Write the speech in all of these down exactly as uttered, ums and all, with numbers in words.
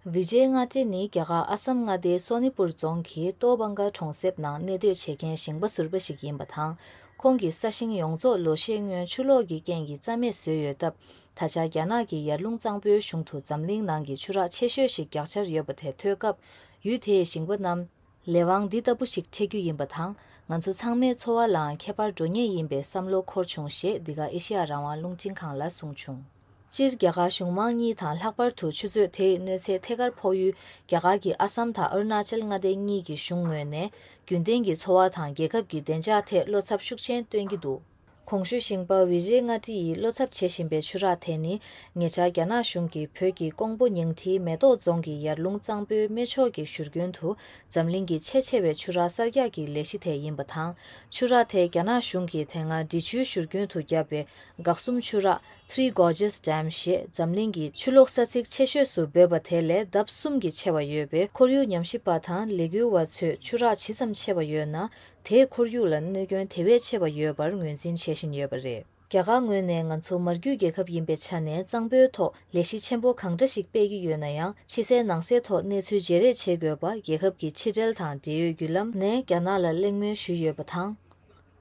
བི་ཇེ་མངའ་བདེ་ནི་རྒྱ་གར་ཨ་སམ་མངའ་སྡེའི་སོ་ནི་པུར་རྫོང་གི་ཏོ་བང་ག་གྲོང་གསེབ་ནང་གནས་སྡོད་བྱེད་མཁན་ཞིང་པ་ཟུར་པ་ཞིག་ཡིན་པ་དང་། ཁོང་གི་ས་ཞིང་ཡོངས་རྫོགས་ལོ་ཤས་སྔོན་ཆུ་ལོག་གི་རྐྱེན་གྱིས་རྩ་མེད་བཟོས་ཡོད་སྟབས། ད་ཆ་རྒྱ་ནག་གི་ཡར་ཀླུང་གཙང་པོའི་གཞུང་དུ་འཛམ་གླིང་ནང་གི་ཆུ་རགས་ཆེ་ཤོས་ཤིག་རྒྱག་འཆར་ཡོད་པ་དེ་ཐོས་སྐབས། ཡུལ་དེའི་ཞིང་པ་རྣམས་ལས་དབང་འདི་ལྟ་བུ་ཞིག་འཕྲད་རྒྱུ་ཡིན་པ་དང་། ང་ཚོ་ཚང་མའི་འཚོ་བ་ལའང་ཁྱད་པར་འགྲོ་ངེས་ཡིན་པའི་བསམ་བློ་འཁོར་བྱུང་ཞེས་འདི་ག་ཨེ་ཤེ་ཡ་རང་དབང་རླུང་འཕྲིན་ཁང་ལ་གསུངས་བྱུང་། སྤྱིར་རྒྱ་གར་གཞུང་མང་གཉིས་དང་ལྷག་པར་དུ་ཆུ་མཛོད་དེའི་གནོད་འཚེ་ཐད་ཀར་ཕོག་ཡུལ་རྒྱ་གར་གྱི་ཨ་སམ་དང་ཨ་རུ་ན་ཅལ་མངའ་སྡེ་གཉིས་ཀྱི་གཞུང་ངོས་ནས། རྒྱུན་ལྡན་གྱི་འཚོ་བ་དང་རྒྱལ་ཁབ་ཀྱི་བདེ་འཇགས་ཐད་བློ་འཚབ་ཤུགས་ཆེན་སྟོན་གྱི་འདུག་གོང་ཞུས་ཞིང་པ་བི་ཇེ་མངའ་བདེ་ཡིས་བློ་འཚབ་བྱེད་བཞིན་པའི་ཆུ་རགས་དེ་ནི། ཉེ་ཆར་རྒྱ་ནག་གཞུང་གིས་བོད་ཀྱི་ཀོང་པོ་ཉིང་ཁྲིའི་མེ་ཏོག་རྫོང་གི་ཡར་ཀླུང་གཙང་པོའི་སྨད་ཕྱོགས་ཀྱི་བཞུར་རྒྱུན་དུ། འཛམ་གླིང་གི་ཆེས་ཆེ་བའི་ཆུ་རགས་གསར་རྒྱག་གི་ལས་གཞི་དེ་ཡིན་པ་དང་། ཆུ་རགས་དེ་རྒྱ་ནག་གཞུང་གིས་དེ་སྔ་འབྲི་ཆུའི་བཞུར་རྒྱུན་དུ་བརྒྱབ་པའི་འགག་གསུམ་ཆུ་རགས། Three Gorges Dam ཞེས་འཛམ་གླིང་གི་ཆུ་ལོག་ས་ཚིགས་ཆེ་ཤོས་སུ་འབོད་པ་དེ་ལས་ལྡབ་གསུམ་གྱིས་ཆེ་བ་ཡོད་པས། ཁོར་ཡུག་ཉམས་ཞིབ་པ་དང་ལས་འགུལ་བ་ཚོས་ཆུ་རགས་ཇི་ཙམ་ཆེ་བ་ཡོད་ན། དེས་ཁོར་ཡུག་ལ་གནོད་སྐྱོན་དེ་བས་ཆེ་བ་ཡོད་པར་ངོས་འཛིན་བྱེད་བཞིན་ཡོད་པ་རེད། རྒྱ་གར་ངོས་ནས་ང་ཚོ་མར་རྒྱུད་རྒྱལ་ཁབ་ཡིན་པའི་ཆ་ནས་གཙང་པོའི་ཐོག་ལས་གཞི་ཆེན་པོ་གང་འདྲ་ཞིག་སྤེལ་གྱི་ཡོད་ན་ཡང་། ཕྱི་གསལ་ནང་གསལ་ཐོག་གནས་ཚུལ་བརྗེ་རེས་བྱེད་དགོས་པ། རྒྱལ་ཁབ་ཀྱི་ཕྱི་འབྲེལ་དང་འབྲེལ་ཡོད་བརྒྱུད་ལམ་ནས་རྒྱ་ནག་ལ་གླེང་མོལ་ཞུས་ཡོད་པ་དང་།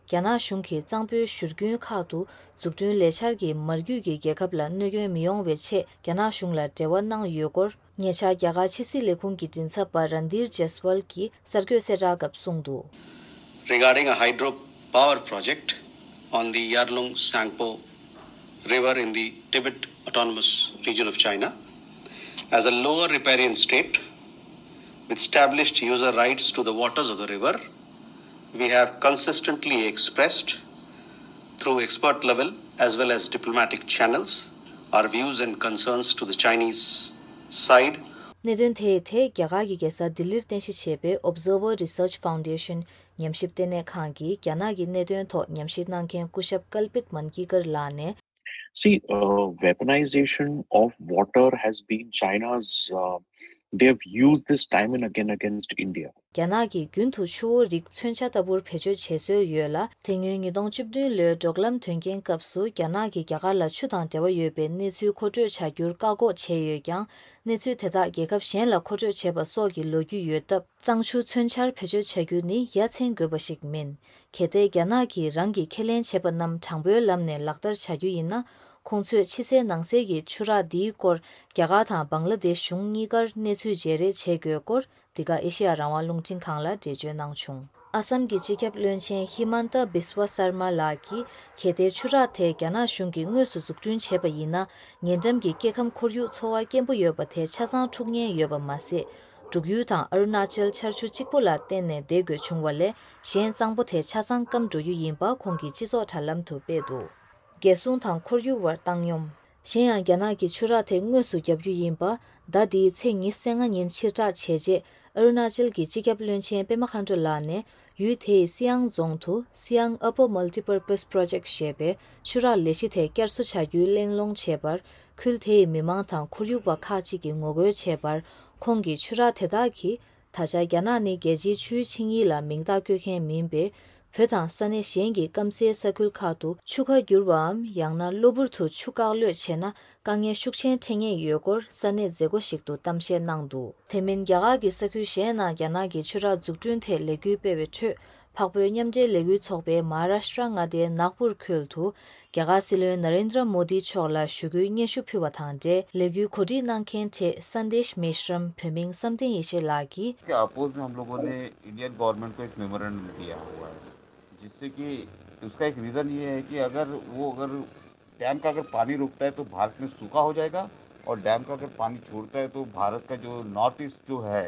རྒྱ་ནག་གཞུང་གིས་གཙང་པོའི་བཞུར་རྒྱུན་ཁག་ཏུ་འཛུགས་སྐྲུན་ལས་འཆར་གྱིས་མར་རྒྱུད་ཀྱི་རྒྱལ་ཁབ་ལ་གནོད་སྐྱོན་མི་ཡོང་བའི་ཆེད་རྒྱ་ནག་གཞུང་ལ་འབྲེལ་བ་གནང་ཡོད་སྐོར། ཉེ་ཆར་རྒྱ་གར་ཕྱི་སྲིད་ལས་ཁུངས་ཀྱི་མགྲིན་ཚབ་པ་རན་དིར་ཇེ་སི་ཝལ་གྱིས་གསར་འགོད་གསལ་བསྒྲགས་སྐབས་གསུངས་འདུག། Regarding a hydropower project on the Yarlung Sangpo River in the Tibet Autonomous Region of China, as a lower riparian state with established user rights to the waters of the river, we have consistently expressed through expert level as well as diplomatic channels our views and concerns to the Chinese side. གནད་དོན་དེའི་ཐད་རྒྱ་གར་གྱི་རྒྱལ་ས་ལྡི་ལིར་རྟེན་གཞི་བྱས་པའི་Observer Research Foundation ཉམས་ཞིབ་ལྟེ་གནས་ཁང་གིས་རྒྱ་ནག་གི་གནད་དོན་ཐོག་ཉམས་ཞིབ་གནང་མཁན་སྐུ་ཞབས་ཀལ་པིད་མན་ཀི་ཀར་ལགས་ནས། See, uh, weaponization of water has been China's, uh, they have used this time and again against India. རྒྱ་ནག་གིས་རྒྱུན་དུ་ཆུ་བོ་རིགས་མཚོན་ཆ་ལྟ་བུར་བེད་སྤྱོད་བྱེད་སྲོལ་ཡོད་ལ། དེ་སྔོན་ཉིས་སྟོང་བཅུ་བདུན་ལོའི་འབྲོག་ལམ་དོན་རྐྱེན་སྐབས་སུ་རྒྱ་ནག་གིས་རྒྱ་གར་ལ་ཆུ་དང་འབྲེལ་བ་ཡོད་པའི་གནས་ཚུལ་མཁོ་སྤྲོད་བྱ་རྒྱུར་བཀག་འགོག་བྱས་ཡོད་ཀྱང་། གནས་ཚུལ་དེ་དག་རྒྱལ་ཁབ་གཞན་ལ་མཁོ་སྤྲོད་བྱས་པ་སོགས་ཀྱི་ལོ་རྒྱུས་ཡོད་སྟབས། གཙང་ཆུ་མཚོན་ཆར་བེད་སྤྱོད་བྱ་རྒྱུ་ནི་ཡ་མཚན་དགོས་པ་ཞིག་མིན། གལ་ཏེ་རྒྱ་ནག་གིས་རང་གིས་ཁས་ལེན་བྱས་པ་རྣམས་དྲང་པོའི་ལམ་ནས་ལག་བསྟར་བྱ་རྒྱུ་ཡིན་ན། ཁོང་ཚོས་ཕྱི་གསལ་ནང་གསལ་གྱི་ཆུ་རགས་འདིའི་སྐོར་རྒྱ་གར་དང་བང་ལ་དེཤ་གཞུང་གཉིས་ཀར་གནས་ཚུལ་བརྗེ་རེས་བྱེད་དགོས་སྐོར། འདི་ག་ཨེ་ཤེ་ཡ་རང་དབང་རླུང་འཕྲིན་ཁང་ལ་འགྲེལ་བརྗོད་གནང་བྱུང་། ཨ་སམ་གྱི་སྤྱི་ཁྱབ་བློན་ཆེན་ཧི་མན་ཏ་བིས་ཝ་སར་མ་ལགས་ཀྱིས། གལ་ཏེ་ཆུ་རགས་དེ་རྒྱ་ནག་གཞུང་གིས་དངོས་སུ་འཛུགས་སྐྲུན་བྱས་པ་ཡིན་ན། ཉེ་འགྲམ་གྱི་སྐྱེ་ཁམས་ཁོར་ཡུག་འཚོ་བ་སྐྱེན་པོ་ཡོད་པ་དེ་ཆ་ཚང་འཁྲུག་ཉེན་ཡོད་པ་མ་ཟད། འབྲུག་ཡུལ་དང་ཨ་རུ་ན་ཅལ་ཆར་ཆུ་གཅིག་པུ་ལ་བརྟེན་ནས་བསྡད་དགོས་བྱུང་བ་ལས། གཞན་གཙང་པོ་དེ་ཆ་ཚང་སྐམ་འགྲོ་རྒྱུ་ཡིན་པ་ཁོང་གིས་སྤྱི་ཚོགས་དྲ་ལམ་དུ་སྤེལ་འདུག། རྒྱལ་སྲུང་དང་ཁོར་ཡུག་བར་བཏང་སྙོམས། གཞན་ཡང་། རྒྱ་ནག་གིས་ཆུ་རགས་དེ་དངོས་སུ་བརྒྱབ་རྒྱུ་ཡིན་པ། ཟླ་འདིའི་ཚེས་ཉི་ཤུ་རྩ་ལྔ་ཉིན་ཕྱིར་བསྒྲགས་བྱས་རྗེས། ཨ་རུ་ན་ཅལ་གྱི་སྤྱི་ཁྱབ་བློན་ཆེན་པེ་མ་ཁ་འགྲོ་ལགས་ནས། ཡུལ་དེའི་སི་ཡང་རྫོང་དུ་སི་ཡང་Upper Multipurpose Project ཞེས་པའི་ཆུ་རགས་ལས་གཞི་དེ་བསྐྱར་གསོ་བྱ་རྒྱུའི་གླེང་སློང་བྱས་པར། ཁུལ་དེའི་མི་མང་དང་ཁོར་ཡུག་པ་ཁག་ཅིག་གིས་ངོ་རྒོལ་བྱས་པར། ཁོང་གིས་ཆུ་རགས་དེ་དག་གིས། ད་ཆ་རྒྱ་ནག་ནི་རྒྱལ་སྤྱིའི་ཆུའི་ཆིངས་ཡིག་ལ་མིང་རྟགས་བཀོད་མཁན་མིན་པས། བོད་དང་ས་གནས་གཞན་གྱི་སྐམ་སའི་ས་ཁུལ་ཁག་ཏུ་ཆུ་ཁ་བསྒྱུར་བའམ་ཡང་ན་གློ་བུར་དུ་ཆུ་བཀག་གློད་བྱས་ན། དཀའ་ངལ་ཤུགས་ཆེན་འཕྲད་ངེས་ཡོད་སྐོར་ས་གནས་མཛད་སྒོ་ཞིག་ཏུ་གཏམ་བཤད་གནང་འདུག། དེ་མིན། རྒྱ་གར་གྱི་ས་ཁུལ་གཞན་ནང་རྒྱ་ནག་གིས་ཆུ་རགས་འཛུགས་སྐྲུན་ཐད་ལས་འགུལ་སྤེལ་བའི་ཁྲོད། འཕགས་བོད་མཉམ་འབྲེལ་ལས་འགུལ་ཚོགས་པས་མ་ཧཱ་རཱ་ཤྲ་མངའ་སྡེའི་ནཱག་པུར་ཁུལ་དུ། རྒྱ་གར་སྲིད་བློན་ན་རེན་དྲ་མོ་དི་མཆོག་ལ་ཞུ་སྐུལ་སྙན་ཞུ་ཕུལ་བ་དང་འབྲེལ། ལས་འགུལ་གོ་སྒྲིག་གནང་མཁན་གྲས་སན་དེཤ་མེ་ཤྲམ། བོད་མིང་བསམ་གཏན་ཡེ་ཤེས་ལགས་ཀྱིས། के अपोज में हम लोगों ने Indian government को एक मेमोरेंडम दिया हुआ है, जिससे कि उसका एक रीज़न ये है कि अगर वो, अगर डैम का अगर पानी रुकता है तो भारत में सूखा हो जाएगा, और डैम का अगर पानी छोड़ता है तो भारत का जो नॉर्थ ईस्ट जो है,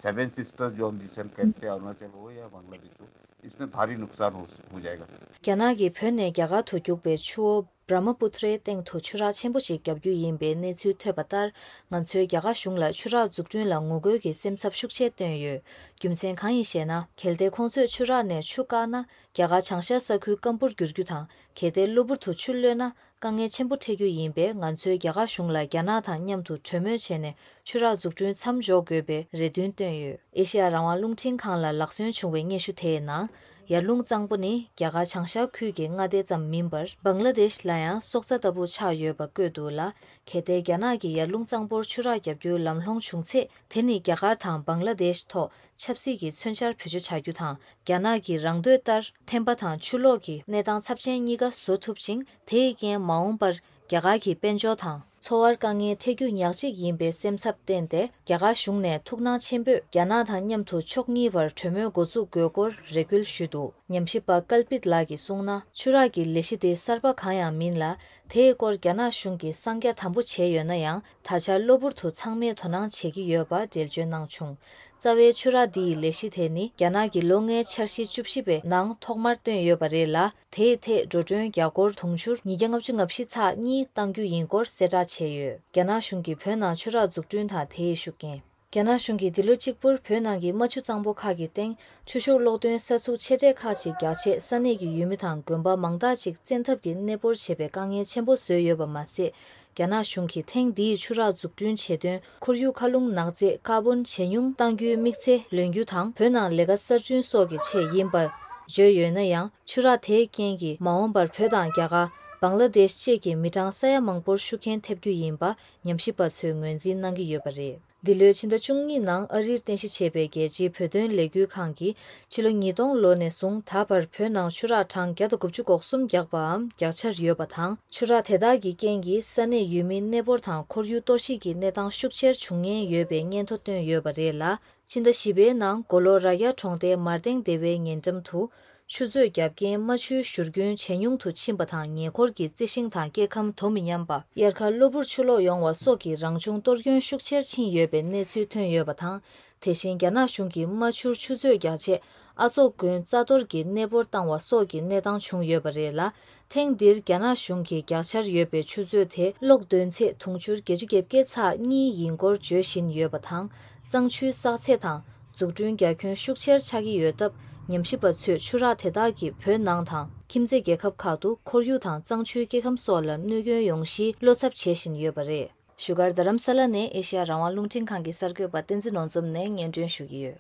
सेवन सिस्टर्स जो हम जिसे हम कहते हैं, अरुणाचल हो या बांग्लादेश हो, इसमें भारी नुकसान हो, हो जाएगा। རྒྱ་ནག་གིས་བོད་ནས་རྒྱ་གར་དུ་རྒྱུག་པའི་ཆུ་བོ་བྲ་མ་པུ་ཐྲའི་སྟེང་དུ་ཆུ་རགས་ཆེན་པོ་ཞིག་བརྒྱབ་རྒྱུ་ཡིན་པའི་གནས་ཚུལ་ཐོས་པ་ལྟར། ང་ཚོས་རྒྱ་གར་གཞུང་ལ་ཆུ་རགས་འཛུགས་སྐྲུན་ལ་ངོ་རྒོལ་གྱི་སེམས་འཚབ་ཤུགས་ཆེ་བཏོན་ཡོད། རྒྱུ་མཚན་གང་ཡིན་ཞེ་ན། གལ་ཏེ་ཁོང་ཚོས་ཆུ་རགས་ནས་ཆུ་བཀག་ན། རྒྱ་གར་བྱང་ཤར་ས་ཁུལ་སྐམ་པོར་འགྱུར་རྒྱུ་དང་། གལ་ཏེ་གློ་བུར་དུ་ཆུ་གློད་ན། དཀའ་ངལ་ཆེན་པོ་འཕྲད་རྒྱུ་ཡིན་པས། ང་ཚོས་རྒྱ་གར་གཞུང་ལ་རྒྱ་ནག་དང་མཉམ་དུ་གྲོས་མོལ་བྱས་ནས། ཆུ་རགས་འཛུགས་སྐྲུན་མཚམས་འཇོག་དགོས་པའི་རེ་འདུན་བཏོན་ཡོད། ཨེ་ཤེ་ཡ་རང་དབང་རླུང་འཕྲིན་ཁང་ལ་ལག་སོན་བྱུང་བའི་སྙན་ཞུ་དེའི་ནང་། ཡར་ཀླུང་གཙང་པོ་ནི་རྒྱ་གར་བྱང་ཤར་ཁུལ་གྱི་མངའ་སྡེ་ཙམ་མིན་པར། བང་ལ་དེཤ་ལ་ཡང་སྲོག་རྩ་ལྟ་བུ་ཆགས་ཡོད་པ་བཀོད་འདུག་ལ། གལ་ཏེ་རྒྱ་ནག་གིས་ཡར་ཀླུང་གཙང་པོར་ཆུ་རགས་བརྒྱབ་རྒྱུའི་ལམ་ལྷོང་བྱུང་ཚེ། དེ་ནི་རྒྱ་གར་དང་བང་ལ་དེཤ་ཐོག་ཆབ་སྲིད་ཀྱི་མཚོན་ཆར་བེད་སྤྱོད་བྱ་རྒྱུ་དང་། རྒྱ་ནག་གི་རང་འདོད་ལྟར་ཐན་པ་དང་ཆུ་ལོག་གི་གནས་སྟངས་ཚབས་ཆེན་གཉིས་ཀ་བཟོ་ཐུབ་ཅིང་། དེའི་རྐྱེན་མ་འོངས་པར་རྒྱ་གར་གྱི་དཔལ་འབྱོར་དང་འཚོ་བར་དཀའ་ངལ་འཕྲད་རྒྱུ་ཉག་གཅིག་ཡིན་པའི་སེམས་འཚབ་བསྟན་ཏེ། རྒྱ་གར་གཞུང་ནས་ཐུགས་སྣང་ཆེན་པོས་རྒྱ་ནག་དང་མཉམ་དུ་ཕྱོགས་གཉིས་བར་གྲོས་མོལ་འགོ་འཛུགས་དགོས་སྐོར་རེ་སྐུལ་ཞུས་འདུག། ཉམས་ཞིབ་པ་ཀལ་པིད་ལགས་ཀྱིས་གསུངས་ན། ཆུ་རགས་ཀྱི་ལས་གཞི་དེ་གསར་པ་གང་ཡང་མིན་ལ། དེའི་སྐོར་རྒྱ་ནག་གཞུང་གིས་གསང་རྒྱ་དམ་པོ་བྱས་ཡོད་ན་ཡང་། ད་ཆ་གློ་བུར་དུ་ཚང་མས་དོ་སྣང་བྱེད་ཀྱི་ཡོད་པ་འགྲེལ་བརྗོད་གནང་བྱུང་། རྩ་བའི་ཆུ་རགས་འདི་ཡི་ལས་གཞི་དེ་ནི་རྒྱ་ནག་གི་ལོ་ལྔའི་འཆར་གཞི་བཅུ་བཞི་པའི་ནང་ཐོག་མར་བཏོན་ཡོད་པ་རེད་ལ། དེའི་ཐད་འགྲོ་གྲོན་རྒྱ་སྒོར་དུང་ཕྱུར་ཉིས་བརྒྱ་ལྔ་བཅུ་ང་བཞི་ཚེག་གཉིས་གཏང་རྒྱུ་ཡིན་སྐོར་གསལ་བསྒྲགས་བྱས་ཡོད། རྒྱ་ནག་གཞུང་གིས་བོད་ནང་ཆུ་རགས་འཛུགས་སྐྲུན་དང་དེའི་ཤུགས་རྐྱེན། རྒྱ་ནག་གཞུང་གིས་འདི་ལོ་གཅིག་པུར་བོད་ནང་གི་རྨ་ཆུ་གཙང་པོ་ཁག་གི་སྟེང་ཆུ་ཤུགས་གློག་འདོན་ས་ཚུགས་ཆེ་གྲས་ཁག་ཅིག་རྒྱག་ཆེད། ས་གནས་ཀྱི་ཡུལ་མི་དང་དགོན་པ་མང་དག་ཅིག་བཙན་ཐབས་ཀྱིས་གནས་སྤོར་བྱེད་པའི་དཀའ་ངལ་ཆེན་པོ་བཟོས་ཡོད་པ་མ་ཟད། རྒྱ་ནག་གཞུང་གིས་ཐེངས་འདིའི་ཆུ་རགས་འཛུགས་སྐྲུན་བྱེད་དོན་ཁོར་ཡུག་མཁའ་རླུང་ནག་རྫས་ཀར་བོན་ཇེ་ཉུང་གཏང་རྒྱུའི་དམིགས་ཚད་ལོན་རྒྱུ་དང་། བོད་ནང་ལས་ཀ་གསར་སྐྲུན་སོགས་ཀྱི་ཆེད་ཡིན་པར་བརྗོད་ཡོད་ན་ཡང་། ཆུ་རགས་དེའི་རྐྱེན་གྱིས་མ་འོངས་པར་བོད་དང་རྒྱ་གར། བང་ལ་དེཤ་བཅས་ཀྱི་མི་གྲངས་ས་ཡ་མང་པོར་ཤུགས་རྐྱེན་ཐེབས་རྒྱུ་ཡིན་པ་ཉམས་ཞིབ་པ་ཚོས་ངོས་འཛིན་གནང་གི་ཡོད་པ་རེད། འདི་ལོའི་ཕྱི་ཟླ་བཅུ་གཉིས་ནང་ཨ་རིར་རྟེན་གཞི་བྱས་པའི་རྒྱལ་སྤྱིའི་བོད་དོན་ལས་འགུལ་ཁང་གིས། ཕྱི་ལོ་ཉིས་སྟོང་ལོ་ནས་བཟུང་ད་བར་བོད་ནང་ཆུ་རགས་གྲངས་བརྒྱ་དང་དགུ་བཅུ་གོ་གསུམ་བརྒྱབ་པའམ་རྒྱག་འཆར་ཡོད་པ་དང་། ཆུ་རགས་དེ་དག་གི་རྐྱེན་གྱིས་ས་གནས་ཡུལ་མིའི་གནས་སྤོར་དང་ཁོར་ཡུག་གཏོར་བཤིག་གི་གནས་སྟངས་ཤུགས་ཆེར་འབྱུང་ཉེན་ཡོད་པའི་སྙན་ཐོ་བཏོན་ཡོད་པ་རེད་ལ། ཕྱི་ཟླ་བཞི་པའི་ནང་མགོ་ལོག་རྭ་རྒྱ་གྲོང་རྡལ་མར་སྟེང་སྡེ་བའི་ཉེ་འགྲམ་དུ། ཆུ་མཛོད་བརྒྱབ་རྐྱེན་རྨ་ཆུའི་བཞུར་རྒྱུན་ཇེ་ཉུང་དུ་ཕྱིན་པ་དང་། ཉེ་འཁོར་གྱི་རྩི་ཤིང་དང་སྐྱེ་ཁམས་དོ་མི་མཉམ་པ། དབྱར་ཁར་གློ་བུར་ཆུ་ལོག་ཡོང་བ་སོགས་ཀྱི་རང་བྱུང་གཏོར་སྐྱོན་ཤུགས་ཆེར་ཕྱིན་ཡོད་པའི་གནས་ཚུལ་ཐོན་ཡོད་པ་དང་། དེ་བཞིན་རྒྱ་ནག་གཞུང་གིས་རྨ་ཆུར་ཆུ་མཛོད་རྒྱག་ཆེད། ཨ་ཙོག་དགོན་རྩ་གཏོར་གྱི་གནས་སྤོར་བཏང་བ་སོགས་ཀྱི་གནས་སྟངས་བྱུང་ཡོད་པ་རེད་ལ། ཐེངས་འདིར་རྒྱ་ནག་གཞུང་གིས་རྒྱག་འཆར་ཡོད་པའི་ཆུ་མཛོད་དེ་གློག་འདོན་ཚད་དུང་ཕྱུར་བརྒྱད་ཅུ་གྱ་བརྒྱད་ཚེག་གཉིས་ཡིན་སྐོར་བརྗོད་བཞིན་ཡོད་པ་དང་། གཙང་ཆུའི་བསགས་ཚད་དང་འཛུགས་སྐྲུན་རྒྱ་ཁྱོན་ཤུགས་ཆེར་ཆགས་ཀྱི་ཡོད་སྟབས། ཉམས་ཞིབ་པ་ཚོས་ཆུ་རགས་དེ་དག་གིས་བོད་ནང་དང་ཁྱིམ་མཚེས་རྒྱལ་ཁབ་ཁག་ཏུ་ཁོར་ཡུག་དང་གཙང་ཆུའི་སྐྱེ་ཁམས་སོགས་ལ་གནོད་སྐྱོན་ཡོང་གཞིའི་བློ་འཚབ་བྱེད་བཞིན་ཡོད་པ་རེད། བཞུགས་སྒར་རྡ་རམ་ས་ལ་ནས་ཨེ་ཤེ་ཡ་རང་དབང་རླུང་འཕྲིན་ཁང་གི་གསར་འགོད་པ་བསྟན་འཛིན་ནོར་འཛོམས་ནས་སྙན་སྒྲོན་ཞུ་གི་ཡོད།